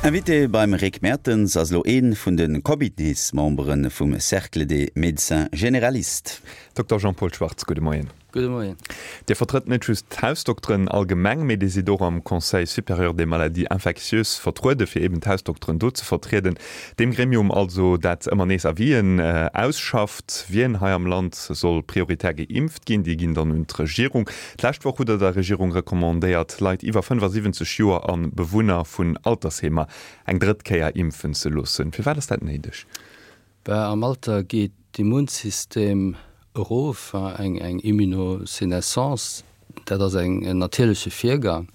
Invité beim Rick Mertens ass elo ee vun de Comitésmembere vum Cercle des Médecins Généralistes. Dokter Jean-Paul Schwartz, gudde Moien. Gudde Moien. Dir vertrëtt net just d'Hausdokteren allgemeng, mee Dir sidd och am Conseil supérieur des maladies infectieuses vertruede fir eben d'Hausdokteren do ze vertrieden. Deem Gremium also, dat ëmmer nees Avisen ausschafft, wien hei am Land soll prioritär geimpft ginn. Déi ginn dann un d'Regierung. D'lescht Woch hutt Der der Regierung recommandéiert, Leit iwwer 75 Joer a Bewunner vun Altersheemer eng drëtt Kéier impfen ze loossen. Firwat ass dat néideg? Bah, am Alter geet d'Immunsystem erof, eng Immunosénescence, dat ass en natierleche Virgang.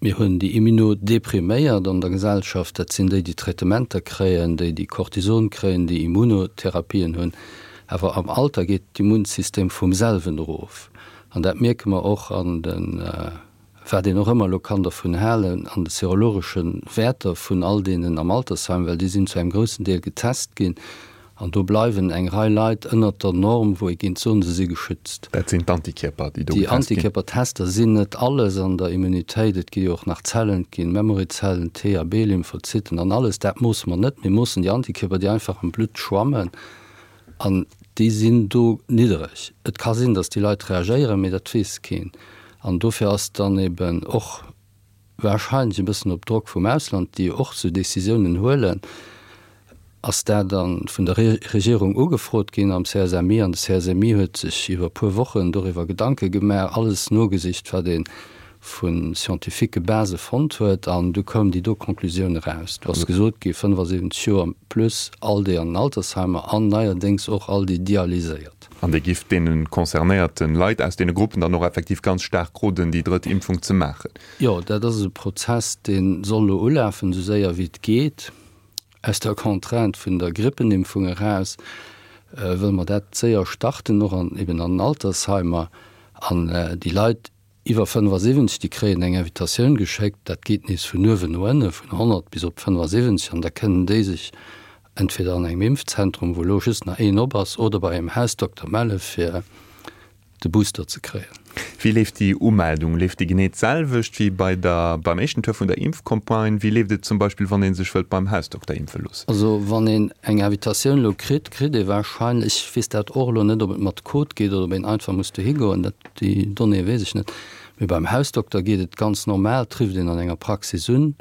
Mir hunn déi Immunodepriméiert an der Gesellschaft, dat sinn déi, déi Traitementer kréien, déi, déi Cortison kréien, déi Immunotherapien hunn. Awer am Alter geet d'Immunsystem vum selwen erof. An dat mierke mer och an de, wat een och ëmmer elo kann dervun halen, an de serologesche Wäerter vun all deenen am Altersheim, well déi sinn zu engem groussen Deel getest ginn an do bleiwen eng Rei Leit ënnert der Norm, wou ee géint soen, se si geschützt. Dat sinn d'Antikierper, déi do getest ginn? Déi Antikierpertester sinn net alles an der Immunitéit. Et gi jo och nach Zellen, et gi Memoryzellen, T a B-Lymphozyten an alles. Dat moosse mer net. Mir moossen déi Antikierper, déi einfach am Blutt schwammen. An déi sinn do niddereg. Et ka sinn, datt déi Leit reagéieren, mee dat weess keen. An dofir ass dann eben och wahrscheinlech e bëssen op Drock vum Ausland, déi jo och esou Décisiounen huelen, ass dat da vun der Regierung ugefrot ginn am CSMI. An de CSMI huet sech iwwer e puer Wochen doriwwer Gedanke gemaach, alles nogesicht, wat ee vu scientifique Basë fonnt huet, an du koum déi do Conclusioun eraus. Do ass gesot gi 75 Joer plus all déi an den Altersheimer an neierdéngs och all déi dialyséiert. An Dir gifft deene concernéierte Leit aus deene Gruppen dann och effektiv ganz staark roden, déi drëtt Impfung ze maachen? Jo, dat ass e Prozess, dee soll elo ulafen, esou séier wéi et geet. Aus der Contrainte vun der Grippenimpfung eraus wëlle mer dat séier starten, och an eben an den Altersheimer. An déi Leit Iwwer 75, déi kréien eng Invitatioun geschéckt. Dat geet nees vun uewen no ënne, vun 100 bis op 75, an da kënnen déi sech entweder an engem Impfzentrum, wou elo just nach een op ass, oder bei engem Hausdokter melle fir de Booster ze kréien. Wéi leeft déi Umeldung? Leeft déi genee d'selwecht wéi bei der, beim éischten Tour vun der Impfcampagne? Wéi leeft et zum Beispill, wann ee sech wëllt beim Hausdokter impfe loossen? Also wann een eng Invitatioun elo kritt, kritt ee warscheinlech, ech weess dat och elo net, ob et mat Code geet oder ob een einfach muss dohi goen, dat Déi Donnéeë weess ech net. Mee beim Hausdokter geet et ganz normal, trifft een an enger Praxis un,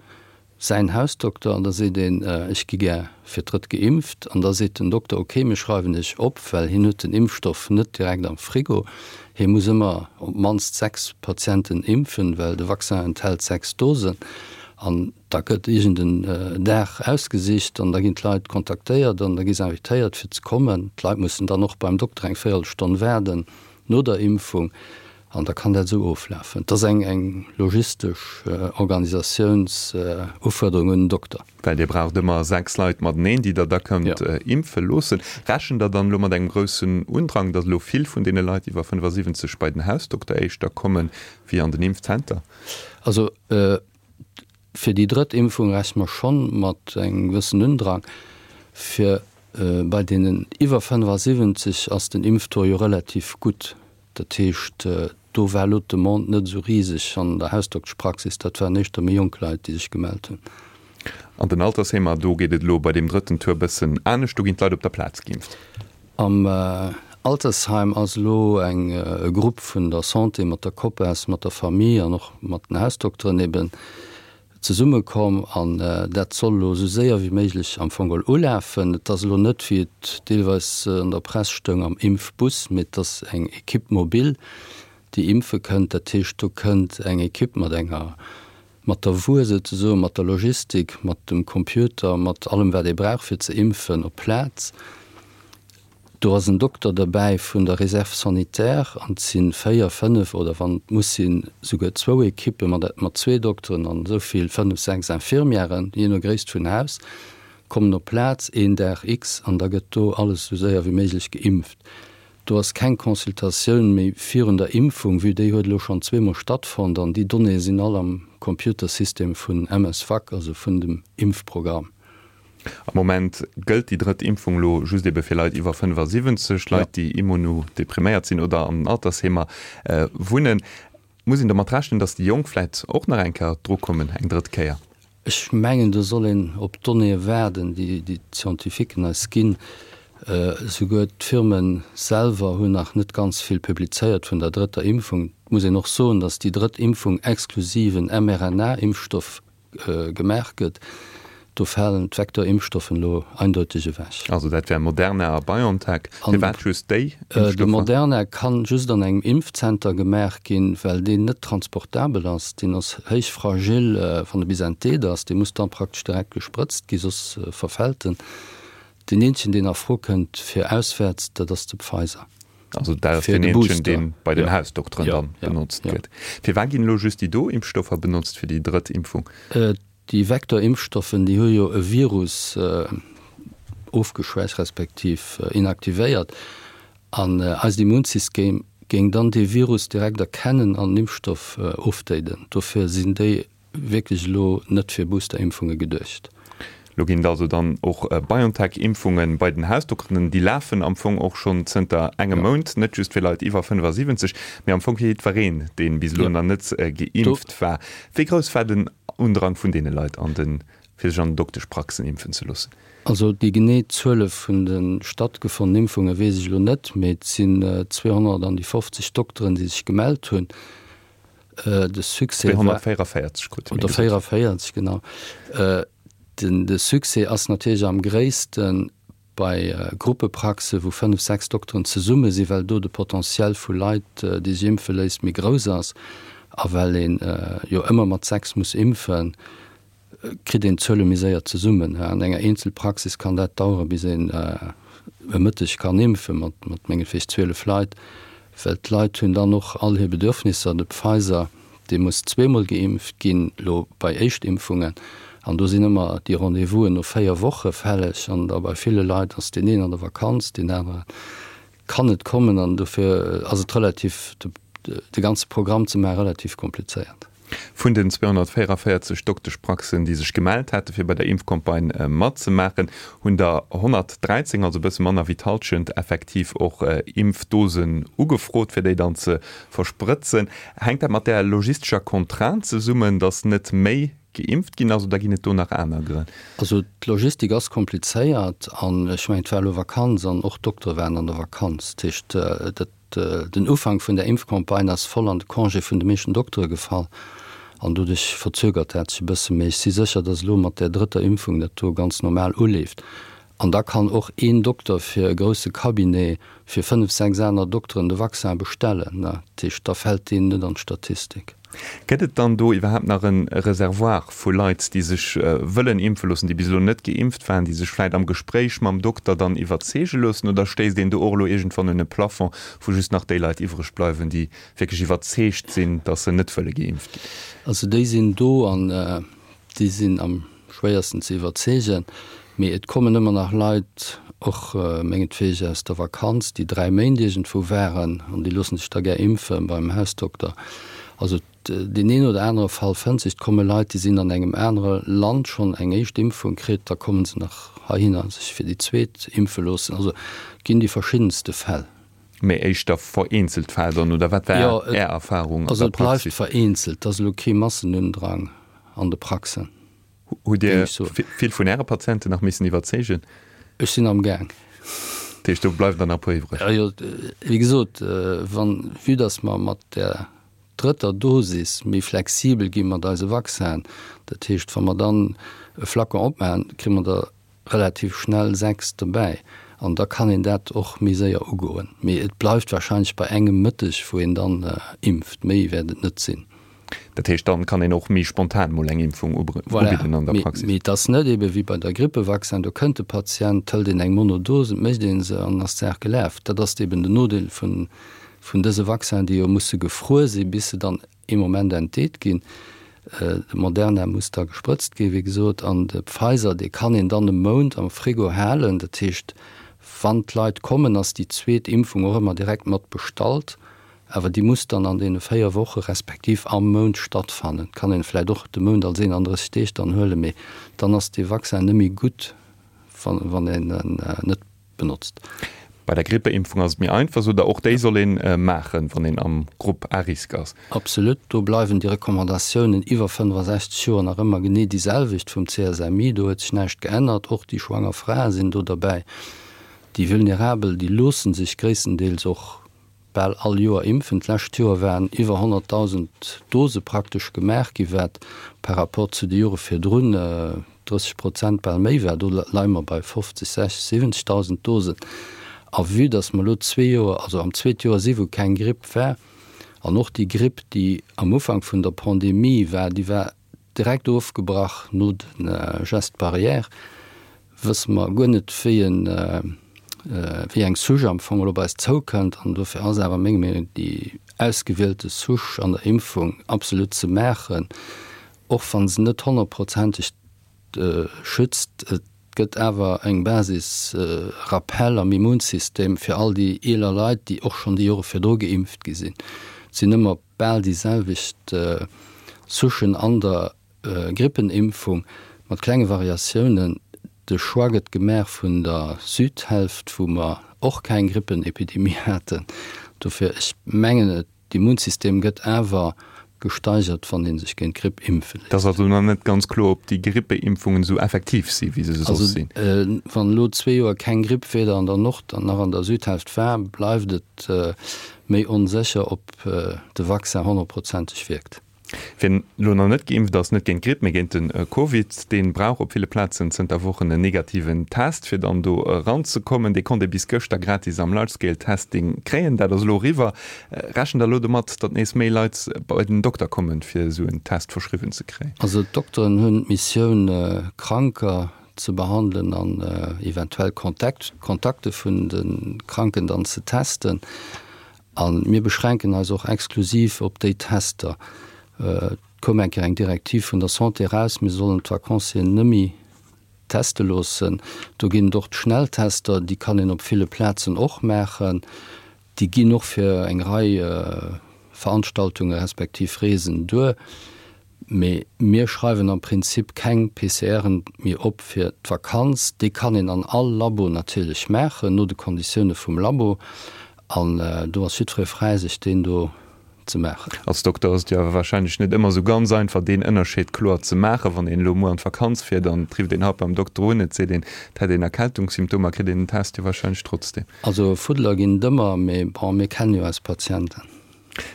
säin Hausdokter, an da seet een, ech gi gär fir d'drëtt geimpft. An da seet den Dokter, ok, mir schreiwen iech op, well hien huet den Impfstoff net direkt am Frigo. Hie muss ëmmer op d'mannst 6 Patienten impfen, well de Vaccin enthält 6 Dosen. An da gëtt iergend en Dag ausgesicht an da ginn d'Leit kontaktéiert an da gi se invitéiert fir ze kommen. D'Leit mussen dann och beim Dokter eng Véierelstonn waarden. No der Impfung, an da kann dat esou oflafen. Et ass eng eng logistesch Organisatiounsufuerderung un den Dokter. Well Dir braucht ëmmer 6 Leit mateneen, déi Der da kënnt impfe loossen. Rechent Der dann elo mat engem groussen Undrang, datt elo vill vun deene Leit iwwer 75 bei den Hausdokter éischter kommen, wéi an den Impfzenter? Also Fir déi drëtt Impfung rechne mer schonn mat engem gewëssen Undrang. Fir bei deenen iwwer 75 ass den Impftaux jo relativ gutt. Dat heescht, do war elo d'Demande net esou riseg an der Hausdokteschpraxis. Dat waren éischter méi jonk Leit, déi sech gemellt hunn. An den Altersheemer, do geet et elo bei deem drëtten Tour bëssen anescht. Do ginn d'Leit op der Plaz geimpft. Am Altersheim ass elo eng e Grupp vun der Santé mat der COPAS, mat der Famille an och mat den Hausdokteren eben zesummekomm an dat soll elo esou séier wéi méiglech am Fong geholl ulafen. Et ass elo net, wéi et deelweis an der Press stoung, am Impfbus, mee et ass eng Equipe mobile, déi impfe kënnt. Dat heescht, do kënnt eng Equipe mat enger mat der Wuer souzesoen, mat der Logistik, mat dem Computer, mat allem wat ee brauch fir ze impfen op d'Plaz. Do ass en Dokter derbäi vun der Réserve sanitaire an et si 4, 5 oder wann et muss sinn souguer zwou Ekippe mat mat zwee Dokteren an esou vill, 5, 6 Infirmièren, jee no Gréisst vun Haus, kommen op d'Plaz een Dag X an da gëtt do alles esou séier wéi méiglech geimpft. Do ass keng Consultatioun méi virun der Impfung, vue déi huet elo schonn zweemol stattfonnt an déi Donnéeë sinn all am Computersystem vun MSVac, also vun dem Impfprogramm. Am Moment gëllt déi drëtt Impfung elo just ebe fir Leit iwwer 75, Leit, déi immunodepriméiert sinn oder an den Altersheemer wunnen. Muss een domat rechnen, datt déi Jonk vläit och nach eng Kéier drukommen, eng drëtt Kéier? Ech mengen, do soll een op d'Donnéeë waarden, déi d'Scientifiquen eis ginn. Esouguer d'Firme selwer hunn nach net ganz vill publizéiert vun der drëtter Impfung. Et muss een och soen, datt déi drëtt Impfung exklusiv en mRNA-Impfstoff gemaach gëtt. Do falen d'Vecteur-Impfstoffen elo eindeuteg ewech. Also dat wär Moderna a BioNTech. Firwat just déi Impfstoffer? De Moderna kann just an engem Impfzenter gemaach ginn, well deen net transportabel ass. Deen ass héich fragil, wann e bis entdeet ass. Dee muss dann praktesch direkt gesprëtzt ginn, soss verfält en. Deen eenzegen, deen a Fro kënnt fir auswäerts, dat ass de Pfizer. Also dat ass deen eenzegen, dee bei den Hausdokteren dann benotzt gëtt. Firwat ginn elo just déi do Impfstoffer benotzt fir déi drëtt Impfung? Déi Vektorimpfstoffen, déi hu jo e Virus ofgeschwächt respektiv inaktivéiert an eist Immunsystem géing dann dee Virus direkt erkennen an den Impfstoff ofdéiden. Dofir sinn déi wierklech elo net fir Boosterimpfunge geduecht. Elo ginn et also dann och BioNTech-Impfunge bei den Hausdokteren. Déi lafen am Fong och schonn zënter engem Mount, net just fir Leit iwwer 75, mee am Fong fir jiddwereen, dee bis elo nach net geimpft war. Wéi grouss war den Undrang vun deene Leit an den, fir sech an den Dokteschpraxen impfen ze loossen? Also déi genee Zuele vun de stattgefonnenen Impfunge weess ech elo net, mee et sinn 200 an déi 50 Dokteren, déi sech gemellt hunn. De Succès war. 244 krute mir gesot. Oder 44, genau. Den, de Succès ass natierlech am gréissten bei Gruppepraxe wou 5, 6 Dokteren zesumme sinn, well do de Potentiel vu Leit, déi sech impfe léisst, méi grouss ass. A well een jo ëmmer mat 6 muss impfen, kritt een d'Zuele méi séier zesummen. An enger Eenzelpraxis kann dat dauere bis een e Mëtteg kann impfe mat mengetweg 12 Leit, well d'Leit hunn dann och all hir Bedürfnisser. De Pfizer, dee muss zweemol geimpft ginn, elo bei Éischtimpfungen, an do sinn ëmmer déi Rendez-vousen no 4 Woche fälleg an da bei ville Leit ass deen een an der Vakanz, deen anere kann net kommen an dofir ass et relativ, de ganze Programm ze maachen, relativ komplizéiert. Vun den 244 Dokteschpraxen, déi sech gemellt hate fir bei der Impfcampagne matzemaachen, hunn der 113, also e bësse manner wéi d'Hallschent, effektiv och Impfdosen ugefrot, fir déi dann ze versprëtzen. Hänkt dat mat där logistescher Contrainte zesummen, datt net méi geimpft ginn ass, oder ginn et do nach aner Grënn? Also d'Logistik ass komplizéiert an ech mengen, et war elo Vakanz an och d'Doktere waren an der Vakanz. Dat heescht, dat Den Ufank vun der Impfcampagne ass voll an de Congé vun de meeschten Doktere gefall an doduerch verzögert dat sech e bësse. Mee ech si sécher, datt elo mat där drëtter Impfung dat do ganz normal uleeft. An da kann och een Dokter fir e grousse Cabinet fir fënnef, sechs aner Dokteren de Vaccin bestellen. Dat heescht, da fält deen net an d'Statistik. Gëtt et dann do iwwerhaapt nach e Reservoir vu Leit, déi sech wëllen impfe loossen, déi bis elo net geimpft waren, déi sech vläit am Gespréich mam Dokter dann iwwerzeege loossen? Oder stéisst een do och elo iergendwann un e Plafond, wou just nach déi Leit iwwreg bleiwen, déi wierklech iwwerzeegt sinn, datt se net wëlle geimpft ginn? Also déi sinn do an déi sinn am schwéiersten ze iwwerzeegen. Mee et kommen ëmmer nach Leit, och mengetwege aus der Vakanz, déi 3 Méint iergendwou waren an déi loosse sech da gär impfe beim Hausdokter. Also deen een oder anere Fall fënnt sech. Et komme Leit, déi sinn an engem anere Land schonn eng éischt Impfung kritt, da komme se nach heihinner sech fir déi zweet impfe loossen. Also et ginn déi verschiddenste Fäll. Mee éischter vereenzelt Fäll dann, oder wat war Är Erfarung an der Praxis? Also et bleift vereenzelt, et ass elo kee Massenundrang an de Praxen. Hutt Dir vill vun Äre Patienten nach missen iwwerzeegen? Ech sinn am Gaang. Dat heescht, do bleiwen der nach e puer iwwreg? Jo, wéi gesot, wann, vue dass mer mat där drëtter Dosis méi flexibel gi mat eise Vaccinen, dat heescht, wa mer dann e Flacon opmaachen, kréie mer der relativ schnell 6 dobäi an da kann een dat och méi séier ugoen. Mee et bleift wahrscheinlech bei engem Mëtteg, wou een dann impft, méi wäert et net sinn. Dat heescht, dann kann een och méi spontan mol eng Impfung ubidden an der Praxis? Voilà, mee et ass net ebe wéi bei der Grippevaccin, do kënnt de Patient, hëlt een eng Monodose, et mécht ee se an ass d'Saach gelaf. Dat ass eben den Nodeel vun dëse Vaccinen, déi jo musse gefruer si bis se dann ee Moment entdeet ginn. De Moderna muss da gesprëtzt ginn, wéi gesot, an de Pfizer, dee kann een dann e Mount am Frigo halen. Dat heescht, wann d'Leit kommen, ass déi zweet Impfung och ëmmer direkt mat bestallt, awer déi muss dann an deene 4 Woche respektiv am Mount stattfannen. Et kann een vläicht och de Mount als 31 Deeg dann huelen, mee dann ass dee Vaccin net méi gutt, wann een en net benotzt. Bei der Grippeimpfung ass et méi einfach, sot Der. Och déi soll ee maachen, wann een am Grupp à risque ass. Absolut. Do bleiwen déi Recommandatiounen iwwer 65 Joer nach ëmmer genee déi selwecht vum CSMI. Do huet sech näischt geännert. Och déi schwanger Frae sinn do derbäi. Déi Vulnerabel, déi loosse sech gréisstendeels och bal all Joer impfen. D'lescht Joer waren iwwer 100.000 Dose praktesch gemaach gi, wat par rapport zu de Jore virdrun 30 Prozent bal méi war. Do leie mer bei 50, 60, 70.000 Dosen. A vue datt mer elo zwee Joer, also am zweete Joer si wou keng Gripp war, an och déi Gripp, déi am Ufank vun der Pandemie war, déi war direkt ofgebrach no de Gestes barrières, wësse mer guer net, wéi en, wéi eng Souche am Fong elo op eis zoukënnt. An dofir ass awer meng Meenung, déi ausgewielte Souche an der Impfung absolut ze maachen, Och wa se net honnertprozenteg schützt, et gëtt awer eng Basis Rappel am Immunsystem fir all déi eeler Leit, déi och schonn déi Jore virdru geimpft gi sinn. Et sinn ëmmer bal déi selwecht Souchen an der Grippenimpfung, mat klenge Variatiounen. De Choix gëtt gemaach vun der Südhälft, wou mer och keng Grippenepidemie haten. Dofir, ech mengen, et D'Immunsystem gëtt awer gesteigert, wann ee sech géint d'Gripp impfe léisst. Et ass also nach net ganz kloer, ob déi Grippeimpfungen esou effektiv si wéi se soss sinn. Also wann elo zwee Joer keng Gripp weder an der Nord an nach an der Südhälft war, bleift et méi onsécher, ob de Vaccin honnertprozenteg wierkt. Wien elo nach net geimpft ass, net géint d'Gripp, mee géint de Covid, dee brauch op ville Plazen zënter Wochen en negativen Test, fir dann do eranzekommen. Dee konnt ee bis gëschter gratis am Large-Scale Testing kréien. Dat ass elo eriwwer. Rechent der elo domat, datt nees méi Leit bei den Dokter kommen, fir esou en Test verschriwwen ze kréien? Also d'Dokteren hunn d'Missioun, Kranker ze behandelen an eventuell Kontakte vun de Kranken dann ze testen. A mir beschränken eis och exklusiv op déi Tester. Et koum eng Kéier eng Direktiv vun der Santé eraus, mir sollen d'Vacancieren nëmme teste loossen. Do ginn et och d'Schnelltester, déi kann een op ville Plazen och maachen. Déi ginn och fir eng Rei Veranstaltunge respektiv Reesen duer. Mee mir schreiwen am Prinzip keng PCRen méi op fir d'Vakanz. Déi kann een an all Labo natierlech maachen, no de Konditioune vum Labo. An do ass jiddweree fräi, sech deen do ze maachen. Als Dokter ass et jo awer warscheinlech net ëmmer esou ganz einfach, deen Ënnerscheed kloer ze maachen. Wann een elo muer an d'Vakanz fiert an et rifft een haut beim Dokter un, et seet een, et hätt een Erkältungssymptomer, kritt een den Test jo warscheinlech trotzdeem. Also Fuddeler ginn et ëmmer, mee bon, mir kennen jo eis Patienten.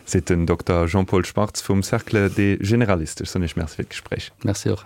Seet den Dokter Jean-Paul Schwartz vum Cercle des Généralistes. Ech soen Iech Merci fir d'Gespréich. Merci och.